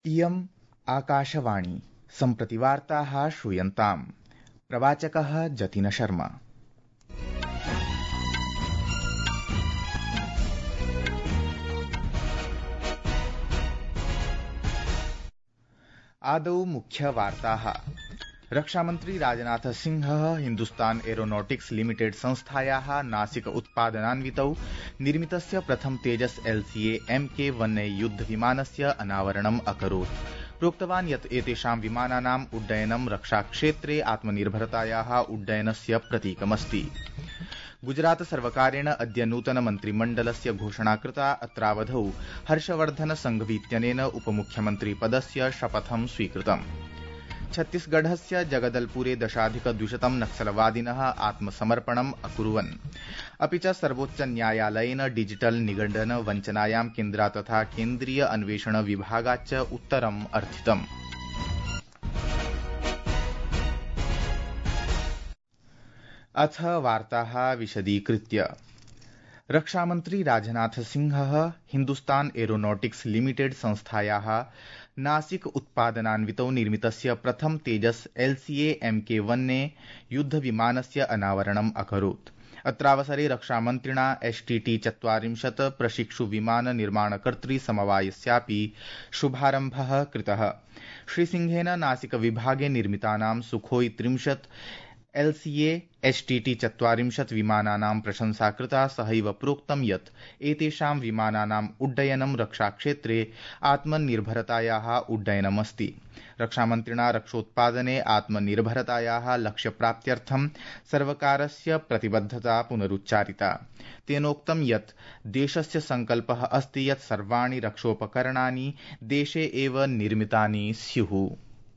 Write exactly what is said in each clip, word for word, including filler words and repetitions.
इयम् आकाशवाणी सम्प्रति वार्ताः श्रूयन्ताम्। प्रवाचकः जतिन शर्मा। आदौ मुख्यवार्ताः। रक्षामन्त्री राजनाथ सिंहः हिन्दुस्तान एरोनॉटिक्स लिमिटेड संस्थायाः नासिक उत्पादनान्वितौ निर्मितस्य प्रथम तेजस एलसीए एमके वन युद्धविमानस्य अनावरणम् अकरोत्। प्रोक्तवान् यत् एतेषां विमानानाम् उड्डयनं रक्षाक्षेत्रे आत्मनिर्भरतायाः उड्डयनस्य प्रतीकमस्ति। गुजरात सर्वकारेण अद्य नूतन मन्त्रिमण्डलस्य घोषणा कृता। अत्रावधौ हर्षवर्धन संघवीत्यनेन उपमुख्यमन्त्री पदस्य शपथं स्वीकृतम्। छत्तीसगढ़स्य जगदलपुरे दशाधिक द्विशतं नक्सलवादिनः आत्मसमर्पणम् अकुर्वन्। अपि च सर्वोच्च न्यायालयेन डिजिटल निगडन वञ्चनायां केन्द्रा तथा केन्द्रीय अन्वेषण विभागाच्च उत्तरम् अर्थितम्। अथ वार्ताः विशदीकृत्य। रक्षामन्त्री राजनाथ सिंहः हिन्दुस्तान एरोनॉटिक्स लिमिटेड संस्थायाः नासिक उत्पादनान्वितौ निर्मितस्य प्रथम तेजस एलसीए एमके वन युद्धविमानस्य अनावरणम् अकरोत्। अत्रावसरे रक्षामन्त्रिणा एसटीटी चत्वारिंशत् प्रशिक्षु विमान निर्माणकर्तृ समवायस्यापि शुभारम्भः कृतः। श्रीसिंहेन नासिक विभागे निर्मितानां सुखोई त्रिंशत् एलसीए एसटीटी चत्वारिंशत् विमानानां प्रशंसा कृता। सहैव प्रोक्तं यत् एतेषां विमानानाम् उड्डयनं रक्षाक्षेत्रे आत्मनिर्भरतायाः उड्डयनमस्ति। रक्षामन्त्रिणा रक्षोत्पादने आत्मनिर्भरतायाः लक्ष्यप्राप्त्यर्थं सर्वकारस्य प्रतिबद्धता पुनरुच्चारिता। तेनोक्तं यत् देशस्य संकल्पः अस्ति यत् सर्वाणि रक्षोपकरणानि देशे एव निर्मितानि स्युः।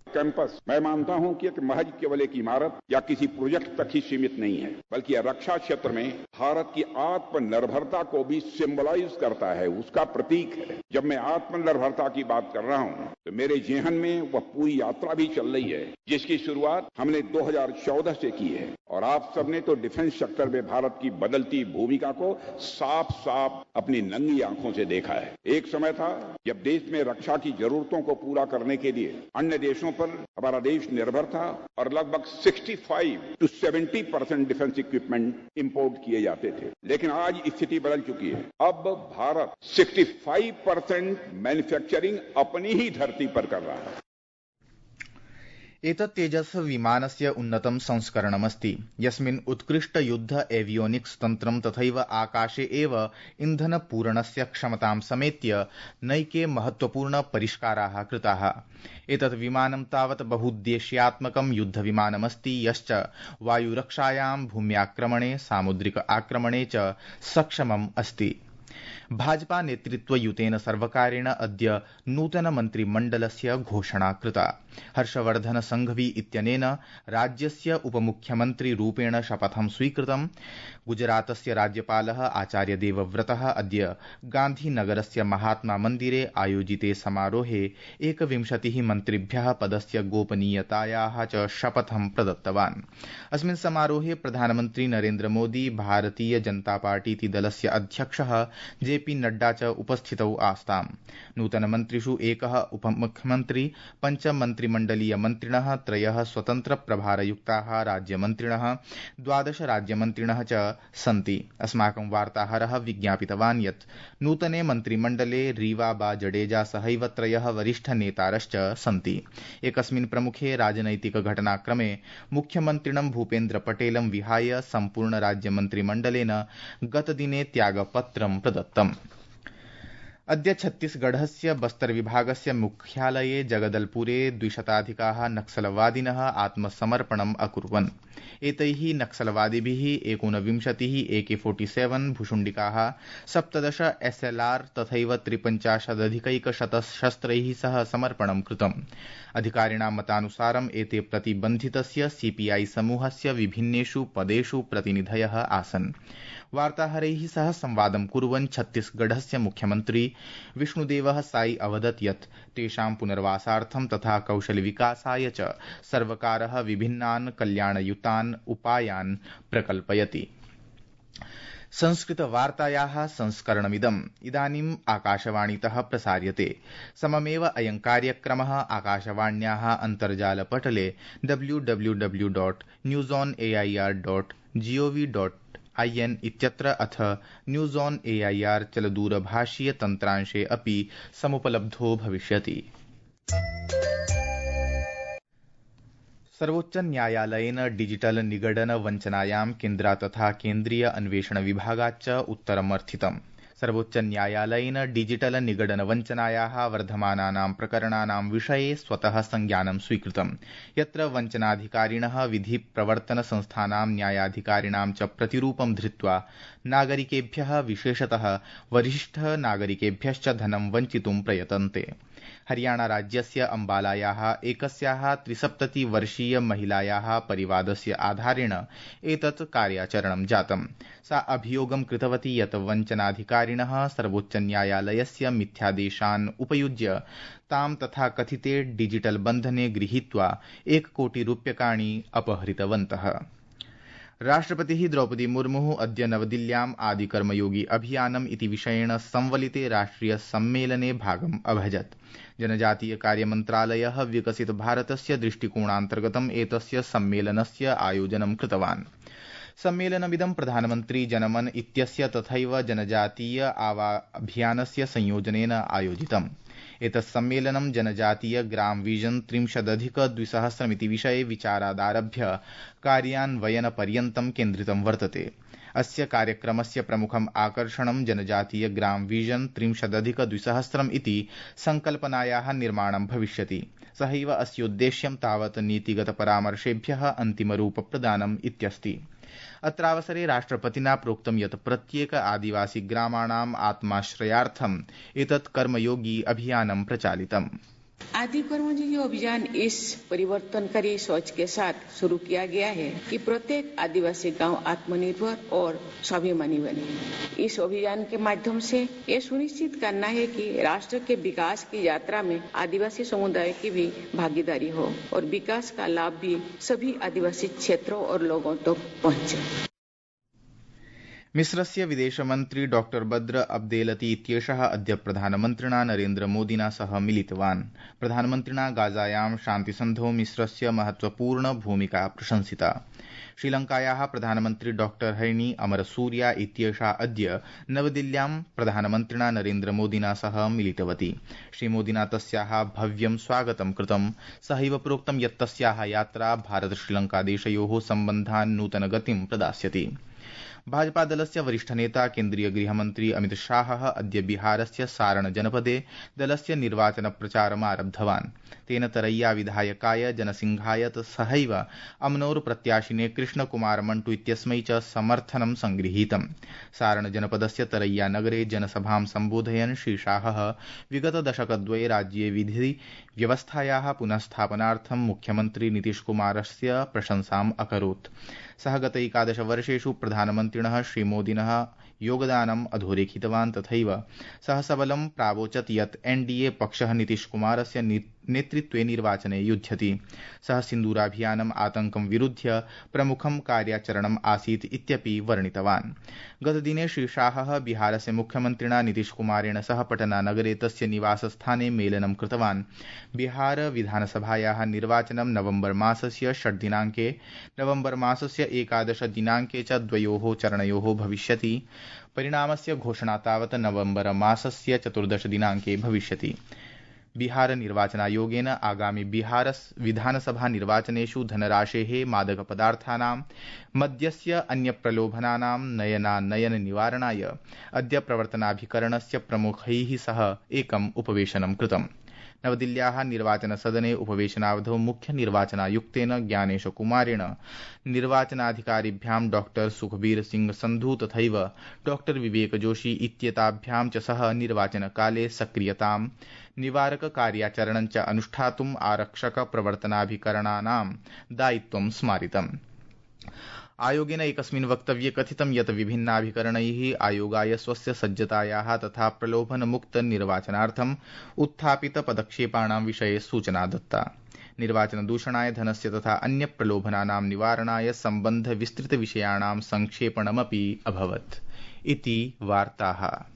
कैंपस मैं मानता हूं कि महज केवल एक इमारत या किसी प्रोजेक्ट तक ही सीमित नहीं है, बल्कि रक्षा क्षेत्र में भारत की आत्मनिर्भरता को भी सिंबलाइज करता है, उसका प्रतीक है। जब मैं आत्मनिर्भरता की बात कर रहा हूं तो मेरे जेहन में वह पूरी यात्रा भी चल रही है जिसकी शुरुआत हमने दो हज़ार चौदह से की है और आप सबने तो डिफेंस सेक्टर में भारत की बदलती भूमिका को साफ साफ अपनी नंगी आंखों से देखा है। एक समय था जब देश में रक्षा की जरूरतों को पूरा करने के लिए अन्य देशों पर हमारा देश निर्भर था और लगभग पैंसठ टू सत्तर परसेंट डिफेंस इक्विपमेंट इंपोर्ट किए जाते थे, लेकिन आज स्थिति बदल चुकी है। अब भारत पैंसठ परसेंट मैन्युफैक्चरिंग अपनी ही धरती पर कर रहा है। एतत् तेजस विमानस्य उन्नतं संस्करणमस्ति, यस्मिन् उत्कृष्ट युद्ध एवियोनिक्स तन्त्रं तथैव आकाशे एव इन्धनपूरणस्य क्षमतां समेत्य नैके महत्वपूर्ण परिष्काराः कृताः। एतत् विमानं तावत् बहुद्देश्यात्मकं युद्धविमानमस्ति, यश्च वायुरक्षायां, भूम्याक्रमणे, सामुद्रिक आक्रमणे च सक्षमम् अस्ति। भाजपा नेतृत्वयुतेन सर्वकारेण अद्य नूतन मन्त्रिमण्डलस्य घोषणा कृता। हर्षवर्धन संघवी इत्यनेन राज्यस्य उपमुख्यमन्त्रिरूपेण शपथं स्वीकृतम्। गुजरातस्य राज्यपालः आचार्य देवव्रतः अद्य गान्धीनगरस्य महात्मा मन्दिरे आयोजिते समारोहे एकविंशतिः मन्त्रिभ्यः पदस्य गोपनीयतायाः च शपथं प्रदत्तवान्। अस्मिन् समारोहे प्रधानमन्त्री नरेन्द्र मोदी, भारतीय जनता पार्टीति दलस्य अध्यक्षः जेपी नड्डा च उपस्थितौ आस्ताम्। नूतनमन्त्रिषु एकः उपमुख्यमन्त्री, पञ्च मन्त्रिमण्डलीय मन्त्रिणः, त्रयः स्वतन्त्र प्रभारयुक्ताः राज्यमन्त्रिणः, द्वादश राज्यमन्त्रिणः च सन्ति। अस्माकं वार्ताहरः विज्ञापितवान् यत् नूतने मन्त्रिमण्डले रीवा बा जडेजा सहैव त्रयः वरिष्ठनेतारश्च सन्ति। एकस्मिन् प्रमुखे राजनैतिक घटनाक्रमे मुख्यमन्त्रिणं भूपेन्द्र पटेलं विहाय सम्पूर्ण राज्यमन्त्रिमण्डलेन गतदिने त्यागपत्रं प्रदत्तम्। अद्य छत्तीसगढ़स्य बस्तर विभागस्य मुख्यालये जगदलपुरे द्विशताधिकाः नक्सलवादिनः आत्मसमर्पणम् अकुर्वन्। एतैः नक्सलवादिभिः एकोनविंशतिः एके सैंतालीस भूषुण्डिकाः, सप्तदश एसएलआर तथैव त्रिपञ्चाशदधिकैकशतशस्त्रैः सह समर्पणं कृतम्। अधिकारिणां मतानुसारम् एते प्रतिबन्धितस्य सीपीआई समूहस्य विभिन्नेषु पदेषु प्रतिनिधयः आसन्। वार्ताहरैः सह संवादं कुर्वन् छत्तीसगढ़स्य मुख्यमन्त्री विष्णुदेवः साई अवदत् यत् तेषां पुनर्वासार्थं तथा कौशलविकासाय च सर्वकारः विभिन्नान् कल्याणयुतान् उपायान् प्रकल्पयति। संस्कृतवार्तायाः संस्करणमिदम् इदानीम् आकाशवाणीतः प्रसार्यते। सममेव अयं कार्यक्रमः आकाशवाण्याः अन्तर्जालपटले W W W dot news on A I R dot G O V dot I N इत्यत्र अथ news on A I R चलदूरभाषीय तन्त्रांशे अपि समुपलब्धो भविष्यति। सर्वोच्च न्यायालयेन डिजिटल निगडन वञ्चनायां केन्द्रा तथा केन्द्रीय अन्वेषण विभागाच्च उत्तरमर्थितम्। सर्वोच्च न्यायालयेन डिजिटल निगडन वञ्चनायाः वर्धमानानां प्रकरणानां विषये स्वतः संज्ञानं स्वीकृतम्, यत्र वञ्चनाधिकारिणः विधि प्रवर्तन संस्थानां न्यायाधिकारिणां च प्रतिरूपं धृत्वा नागरिकेभ्यः विशेषतः वरिष्ठ नागरिकेभ्यश्च धनं वञ्चितुं प्रयतन्ते। हरियाणा राज्यस्य अम्बालायाः एकस्याः त्रिसप्ततिवर्षीय महिलायाः परिवादस्य आधारेण एतत् कार्याचरणं जातम्। सा अभियोगं कृतवती यत् वञ्चनाधिकारिणः सर्वोच्च न्यायालयस्य मिथ्यादेशान् उपयुज्य तां तथा कथिते डिजिटल बन्धने गृहीत्वा एककोटिरूप्यकाणि अपहृतवन्तः। राष्ट्रपतिः द्रौपदी मुर्मुः अद्य नवदिल्ल्याम् आदिकर्मयोगी अभियानम् इति विषयेण संवलिते राष्ट्रिय सम्मेलने भागम् अभजत्। जनजातीय कार्यमन्त्रालयः विकसित भारतस्य दृष्टिकोणान्तर्गतम् एतस्य सम्मेलनस्य आयोजनं कृतवान्। सम्मेलनमिदं प्रधानमन्त्री जनमन इत्यस्य तथैव जनजातीय आवाभियानस्य संयोजनेन आयोजितम्। एतत् सम्मेलनं जनजातीय ग्राम विजन त्रिंशदधिक द्विसहस्रमिति विषये विचारादारभ्य कार्यान्वयनपर्यन्तं केन्द्रितं वर्तते। अस्य कार्यक्रमस्य प्रमुखम् आकर्षणं जनजातीय ग्राम विजन त्रिंशदधिक द्विसहस्रम् इति संकल्पनायाः निर्माणं भविष्यति। सहैव अस्योद्देश्यं तावत् नीतिगत परामर्शेभ्यः अन्तिमरूप प्रदानम् इत्यस्ति। अत्रावसरे राष्ट्रपतिना प्रोक्तं यत् प्रत्येक आदिवासी ग्रामाणाम् आत्माश्रयार्थम् एतत् कर्मयोगी अभियानं प्रचालितम्। आदि कर्मयोगी अभियान इस परिवर्तनकारी सोच के साथ शुरू किया गया है कि प्रत्येक आदिवासी गांव आत्मनिर्भर और स्वाभिमानी बने। इस अभियान के माध्यम से ये सुनिश्चित करना है कि राष्ट्र के विकास की यात्रा में आदिवासी समुदाय की भी भागीदारी हो और विकास का लाभ भी सभी आदिवासी क्षेत्रों और लोगों तक तो पहुंचे। मिस्रस्य विदेशमन्त्री डॉ बद्र अब्देलती इत्येषः अद्य प्रधानमन्त्रिणा नरेन्द्र मोदिना सह मिलितवान्। प्रधानमन्त्रिणा गाजायां शान्तिसन्धौ मिस्रस्य महत्वपूर्ण भूमिका प्रशंसिता। श्रीलंकायाः प्रधानमन्त्री डॉ हैनी अमरसूरिया इत्येषा अद्य नवदिल्ल्यां प्रधानमन्त्रिणा नरेन्द्र मोदिना सह मिलितवती। श्रीमोदिना तस्याः भव्यं स्वागतं कृतं। सहैव प्रोक्तं यत् तस्याः यात्रा भारत श्रीलंकादेशयोः सम्बन्धान् नूतनगतिं प्रदास्यति। भाजपा दलस्य वरिष्ठ नेता केन्द्रीय गृहमन्त्री अमित शाहः अद्य बिहारस्य सारण जनपदे दलस्य निर्वाचन प्रचारम् आरब्धवान्। तेन तरैया विधायकाय जनसिंहाय सहैव अमनोर प्रत्याशिने कृष्णकुमार मण्टु इत्यस्मै च समर्थनं संगृहीतम्। सारण जनपदस्य तरैया नगरे जनसभां सम्बोधयन् श्रीशाहः विगत दशकद्वये राज्ये विधि व्यवस्थायाः पुनःस्थापनार्थं मुख्यमन्त्री नीतीशकुमारस्य प्रशंसाम् अकरोत्। सः गत एकादशवर्षेषु प्रधानमन्त्रिणः श्रीमोदिनः योगदानम् अधोरेखितवान्। तथैव सः सबलं प्रावोचत् यत् एनडीए पक्षः नीतीशकुमारस्य नेतृत्वे निर्वाचने युध्यति। सः सिन्दूराभियानम् आतङ्कं विरुध्य प्रमुखं कार्याचरणम् आसीत् इत्यपि वर्णितवान्। गतदिने श्रीशाहः बिहारस्य मुख्यमन्त्रिणा नीतीशकुमारेण सह पटनानगरे तस्य निवासस्थाने मेलनं कृतवान्। बिहार विधानसभायाः निर्वाचनं नवम्बर मासस्य षड् दिनाङ्के नवम्बर मासस्य एकादश दिनाङ्के च द्वयोः चरणयोः भविष्यति। परिणामस्य घोषणा तावत् नवम्बर मासस्य चतुर्दश दिनाङ्के भविष्यति। बिहार निर्वाचनायोगेन आगामि बिहार विधानसभा निर्वाचनेषु धनराशेः मादकपदार्थानां मद्यस्य अन्यप्रलोभनानां नयनानयन निवारणाय अद्य प्रवर्तनाभिकरणस्य प्रमुखैः सह एकम् उपवेशनं कृतम्। नवदिल्ल्याः निर्वाचनसदने उपवेशनावधौ मुख्य निर्वाचनायुक्तेन ज्ञानेश कुमारेण निर्वाचनाधिकारिभ्यां डॉ सुखबीर सिंह संधु तथैव डॉ विवेक जोशी इत्येताभ्यां च सह निर्वाचनकाले सक्रियतां निवारक कार्याचरणं च अनुष्ठातुम् आरक्षक प्रवर्तनाभिकरणानां दायित्वं स्मारितम्। आयोगेन एकस्मिन् वक्तव्ये कथितं यत् विभिन्नाभिकरणैः आयोगाय स्वस्य सज्जतायाः तथा प्रलोभनमुक्त निर्वाचनार्थम् उत्थापित पदक्षेपाणां विषये सूचना दत्ता। निर्वाचनदूषणाय धनस्य तथा अन्य प्रलोभनानां निवारणाय सम्बन्ध विस्तृत विषयाणां संक्षेपणमपि अभवत्। इति वार्ताः।